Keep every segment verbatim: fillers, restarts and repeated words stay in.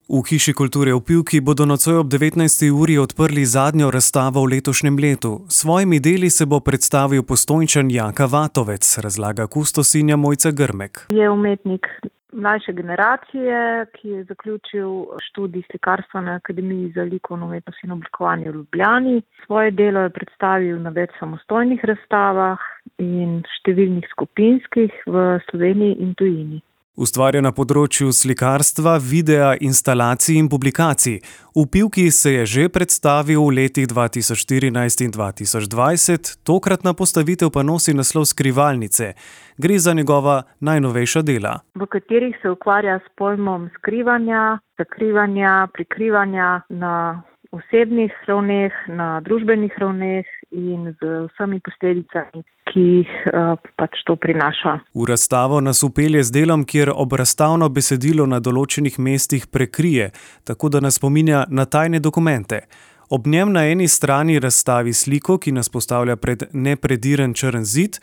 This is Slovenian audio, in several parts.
V Hiši kulture v Pivki bodo nocoj ob devetnajsti uri odprli zadnjo razstavo v letošnjem letu. S svojimi deli se bo predstavil Postojnčan Jaka Vatovec, razlaga kustosinja Mojca Grmek. Je umetnik mlajše generacije, ki je zaključil študij slikarstva na Akademiji za likovno umetnost in oblikovanje v Ljubljani. Svoje delo je predstavil na več samostojnih razstavah in številnih skupinskih v Sloveniji in tujini. Ustvarja na področju slikarstva, videa, instalacij in publikacij. V Pivki se je že predstavil v letih dva tisoč štirinajst in dva tisoč dvajset, tokratna postavitev pa nosi naslov Skrivalnice. Gre za njegova najnovejša dela, v katerih se ukvarja s pojmom skrivanja, zakrivanja, prikrivanja na osebnih ravneh, na družbenih ravneh in z vsemi posledicami, ki jih uh, pač to prinaša. V razstavo nas upelje z delom, kjer obrazstavno besedilo na določenih mestih prekrije, tako da nas spominja na tajne dokumente. Ob njem na eni strani razstavi sliko, ki nas postavlja pred neprediran črn zid,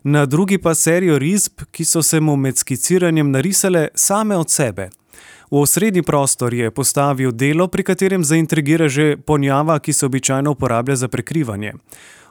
na drugi pa serijo risb, ki so se mu med skiciranjem narisale same od sebe. V osrednji prostor je postavil delo, pri katerem zaintrigira že ponjava, ki se običajno uporablja za prekrivanje.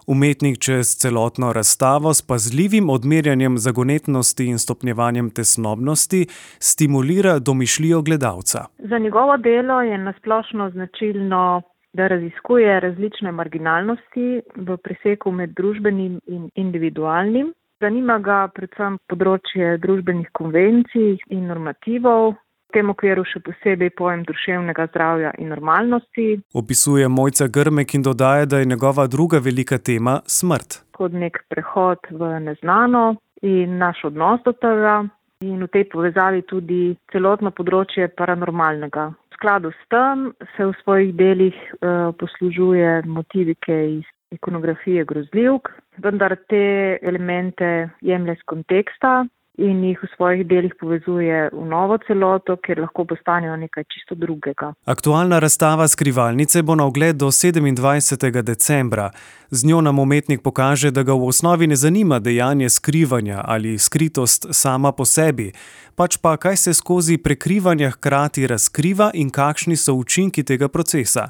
Umetnik čez celotno razstavo s pazljivim odmerjanjem zagonetnosti in stopnjevanjem tesnobnosti stimulira domišljijo gledalca. Za njegovo delo je nasplošno značilno, da raziskuje različne marginalnosti v preseku med družbenim in individualnim. Zanima ga predvsem področje družbenih konvencij in normativov, v tem okviru še posebej pojem duševnega zdravja in normalnosti. Opisuje Mojca Grmek in dodaja, da je njegova druga velika tema smrt. Kot nek prehod v neznano in naš odnos do tega in v tej povezavi tudi celotno področje paranormalnega. V skladu s tem se v svojih delih uh, poslužuje motivike iz ikonografije grozljivk, vendar te elemente jemlje z konteksta in jih v svojih delih povezuje v novo celoto, kjer lahko postanejo nekaj čisto drugega. Aktualna razstava Skrivalnice bo na ogled do sedemindvajsetega decembra. Z njo nam umetnik pokaže, da ga v osnovi ne zanima dejanje skrivanja ali skritost sama po sebi, pač pa kaj se skozi prekrivanja hkrati razkriva in kakšni so učinki tega procesa.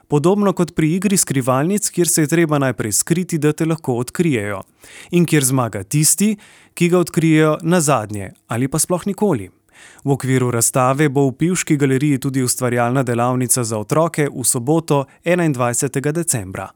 Podobno kot pri igri skrivalnic, kjer se je treba najprej skriti, da te lahko odkrijejo. In kjer zmaga tisti, ki ga odkrijejo nazadnje ali pa sploh nikoli. V okviru razstave bo v Pivški galeriji tudi ustvarjalna delavnica za otroke v soboto enaindvajsetega decembra.